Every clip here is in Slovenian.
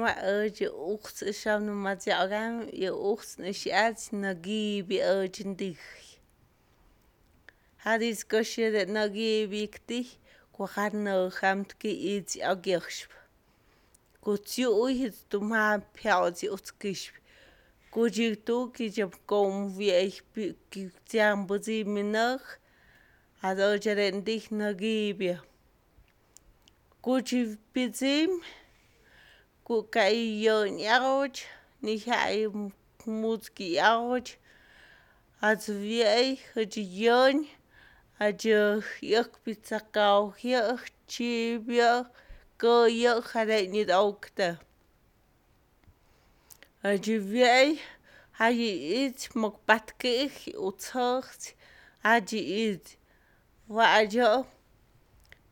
je uchts isham no matiagam je uchts nishiat nagibi urgentih. Hadis goshir nagibi kti kwahar no hamtki its agirshp. Kutiu hit tumha piauti utkishp. Kujitu kijab kom viech tiam buzi minach. Hado jarendih nagibia. Kujibizim kukai yon yaroch nihai mutki yaroch az viei yon ajo yak pizzakau yak chibia ko yak hade nid aukta ajo viei haji it mokbatkich uthocht aji it wa ajo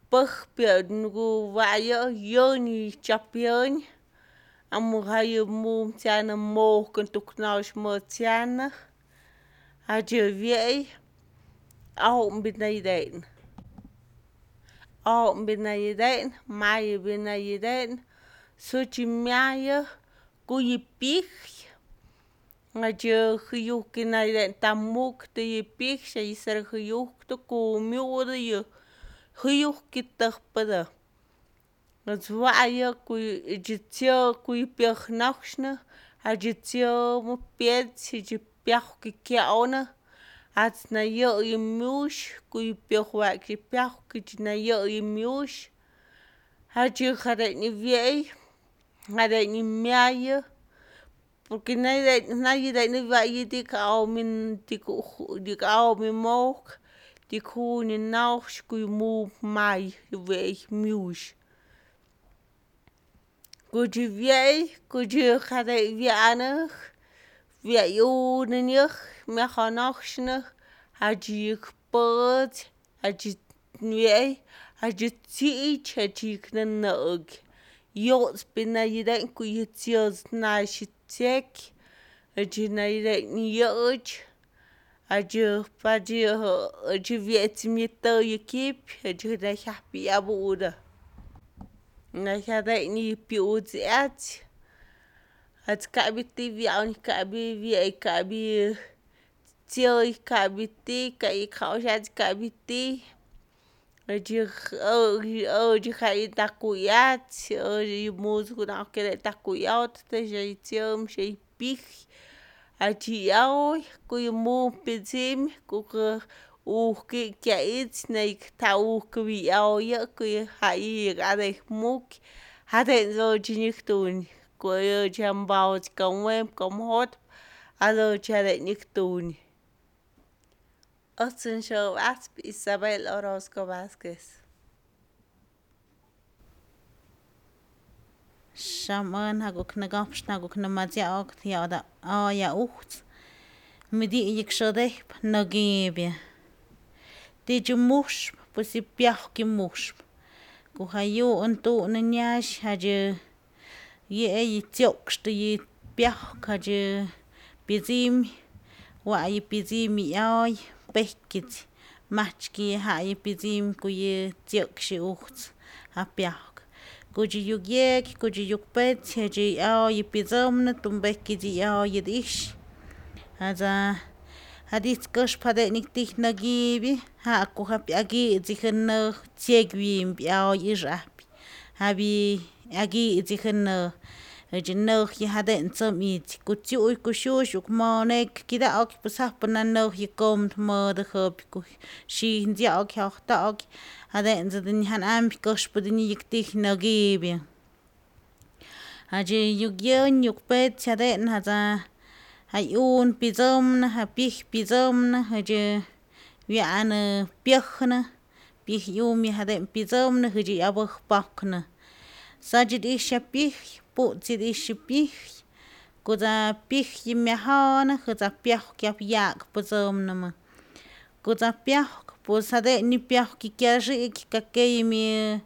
Pugpio nugu wayo yoni chapion amuhayo mum tiana mo kuntuknaus mo tiana ajo viei au mbinaiden mayo binaiden suchi miayo kuyipich ajo huyukinaiden tamuk tuyipich shayisar huyuk to kumiudayo huyuk kitappada azwaya kuy jitio kuy piachnaxna ajitio mo piet jipiach kikiaona atnayo imush kuy piachwa kipiach kijnayo imush haji hade ni viei hade ni miayo porque nadie ni vaya dikao min dikao mi mok diku ni nauch kuy mu mai veich miush kuji viei kuji hade vianach viayunnych mehanochna haji pod haji viei haji tich haji knanog yots pinayiden kuy tios nashitek haji naiden yoch ajo pajo ajo vieti mito yukip ajo da happy abuda na hada ni piuti at kabiti viaun kabi tio kabiti kai kaushat kabiti ajo kai takuyat ajo musgo na kere takuyat te jaitiom shei pich aji yaoy kuy mu pizim kuka ki kait naik tau kuy yaoy kuy hai ade muk hade zo jiniktun kuy jambaut kamwem kamhot ado chade niktun Otsun show asp Isabel Orozco Vázquez Shaman haguk nagapsh naguk namadziaok yada ya ucht midi yikshadeh nagibia tijumush pues si piach ki mush kuhayu antu nanyash haje ye tiokst yi piach haje bizim wa yi bizim yoy pekit machki ha yi bizim kuye tiokshi ucht ha piach kuji yugyek kuji yukpet haje yoy bizomna tumbeki di yoy dish haza hadis kush pade niktik nagibi ha ku hapi agi zikhan tiegwim biao yirap habi agi zikhan jinno hi haden somit kutiu kushush ukmonek kida ok pasapna no hi kom mo de hop ku shi ndia ok ta ok haden zedin han am kush podini yiktik nagibi haje yugyon yukpet haden haza hayun pizomna hapih pizomna haje wiana piachna pih yumi haden pizomna haje abah pakna sajid ishapih putsid ishapih kuza pih yimehana kuza piach kyap yak pizomna ma kuza piach pues haden ni piach kikyashi kakeymi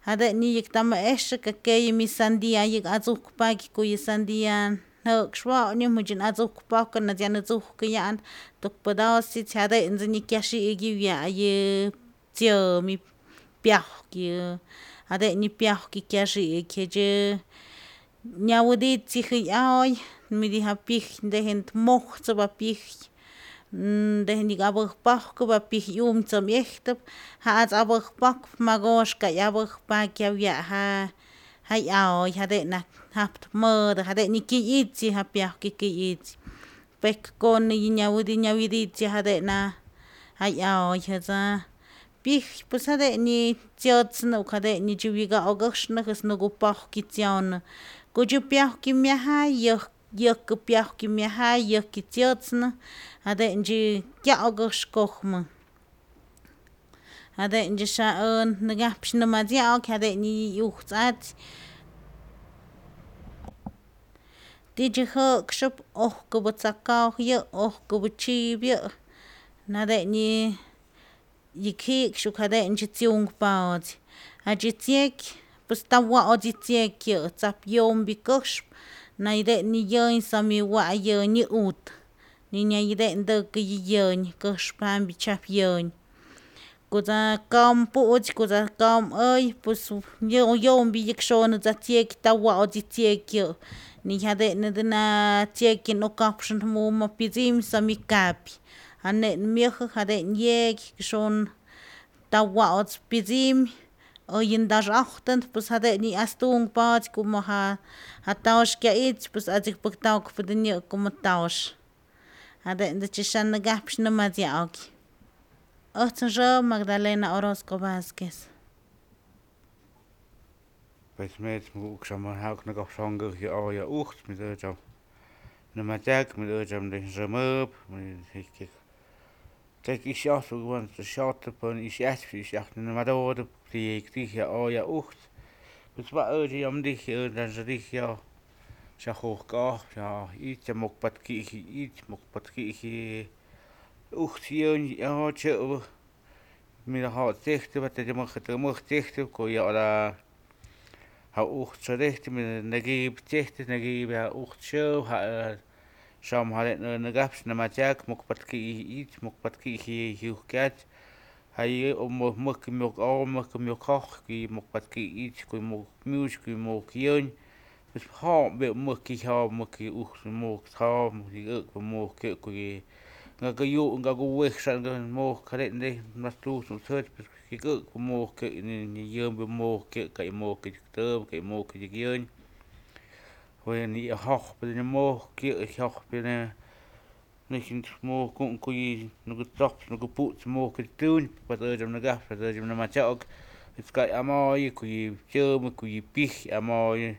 haden ni yiktama esh kakeymi sandia yik azuk paki kuy sandia Xwa ni mujin azuk pakon na dian azuk kyan tok podasit hade nzini kyashi gi ya ye tio mi piach ki hade ni piach ki kyashi keje ñawditzi ay midija pij dejen mojtsa pij dejen abajpajka pij umtsa ijtap ja'as abajpak magoxkay abajpak ja ay jaden japt mëdë jaden nyëkyë itsi ja piajka kyëy itsi pek kon ñawiditsi jaden ay jet'sa pij pues jaden tsiotsnë jaden chëwyak pues nugu pajk tsionë ko'o piajka myajay yëjk piajka myajay yëjk tsiotsnë jadenchi kya'akëxkojmä jadenchi xa ä nakapx nämat's ya'ak jaden ujtz atsi ti'i jä'kxäp ojkapä tsaka'ok yä' ojkapä tzyi'ip yä' jaden yä'k ji'kshu'k jadenchi tziunkpa'otsi jadyi tziek pues nta wa'otsi tziek yä' tzap yompi käxpä nä'iden yänh sami wa' yänh nyä'ut ni nä'iden ntäkä yä yänh käxpä jampya tzyap yänh ko'tza ka't pu'tzy ko'tza ka't äy pues yompi yä'k xonä'tza tziek nta wa'otsi tziek yä' ni jaden tzieki nokapxän mumä pyätzimä sami kapy jane'n myäjä jaden ye'ky nta wa'ots pyätzimä oy ndaxajtän pues jaden yastunkpa'otsi como ja tawx kya'itz pues atzäkpäk tawkpatä nyä' como tawx jade'ntätzya xan nakapx nämatz ya'oki äjtz nxä Magdalena Orozco Vazquez. Pues metz mu'ksam jauk nakapxonhkä oya ujtz mitätzäm nämatziak mitätzäm nxämäp tek isyajtu xyotë pän isyajtpyë namadotëp tij oya ujtz pues ä yomtij tij xyajujk'ojp itz mukpatki'ji itz mukpatki'ji ujtz yänh tzyä'pä midajo'k tzijtäp täjkämä tzijtäp ko'o ya'ut ja ujtz xädijty näkipyä tzijtä näkipyä ja ujtz syäp xom jaden nakapx nämatziak mukpatki'ji itz mukpatki'ji jyujkyach mäjkä myuk omy mäjkä myuk joj mukpatki'ji itz ko'o muk myu'x ko'o muk yänh pues jo'mpyä mäjkä jo'pä ujtz muk ä'kpä muk kyä'kuy nkä wijxa'nkä muk jade'nde mas tujtzä'k ät ji'k ä'kpä muk kyä' nä yämpä muk kyä' kay muk täm kay muk yänh jojpyatä muk kyä' jojpyatä nä'ijtu't muk ku'nkuy näkä tzops näkä pu'tz muk tyuñ pues äjtyät nakapx äjtyät nämatzyo'k pues kay amoyä kuy tzyämä kuy pij 'yamoy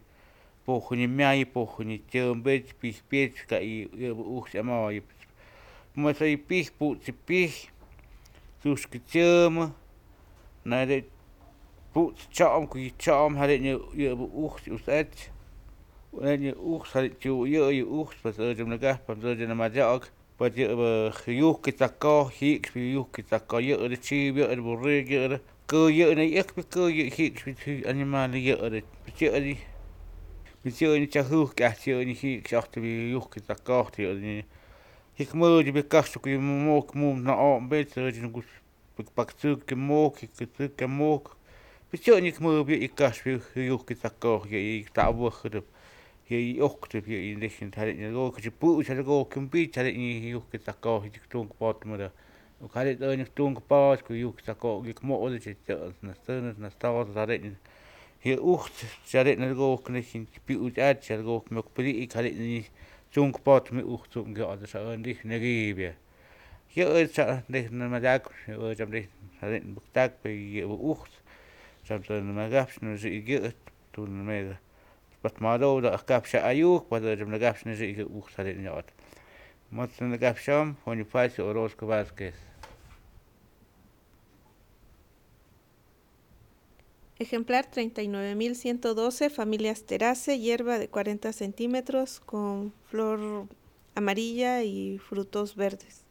pujnä myay pujnä tzyämpetz pij pyetz kay yä'pä ujtz 'yamoy mesay pij pu'tzi pij tzuxkä tzyämä nä'ijtu't pu'tz tzo'm kuy tzo'm jaden yä'pä ujtz ujtz jaden tzyu'yä'yi ujtz pues äjtyät nakapx äjtyät nämatzi'ok pues yä'pä yujki tzakoj ji'kspä yujki tzakoj yä'tä tzyi'ip yä'tä burritu yä'tä kä'yä nä'yäkpä kä'yä ji'kspä animal yä'tä pues yä'tä tzyajujky ajtyë yä'tä ji'ksy yujki tzakoj ji'k mä'tyi kastzäjkuy muk nä o'mpetz pak tzäkä muk ji'k tzäkä muk pues yä'tä mä'pyä kaspyä yujki tzakoj yä'tä ta'wäjätäp yä'tä ujktäp yä'tä jaden pu'tzy ko'kyampitz jaden yujki tzakoj tunkpotmätä jaden nyäk tunkpa'otz ko'o yujki tzakoj yä'k mo'tätzya tä'ns nas todot jaden yä ujtz jaden pyu'tzy atzy myok päti'ik jaden tzunkpotmä ujtzu'k ät näkipyä yä'tä nämatziak äjtyät jaden päktakpa yä'pä ujtz tzyamtä nakapx nä'si'k yä' patmadotä kapsy ayu'k pues äjtyät nakapx nä'si'k yä ujtz jaden ya'ut mätzä nakapsy'oj Bonifacio Orozco Vazquez. Ejemplar 39.112, familia Asteraceae, hierba de 40 centímetros con flor amarilla y frutos verdes.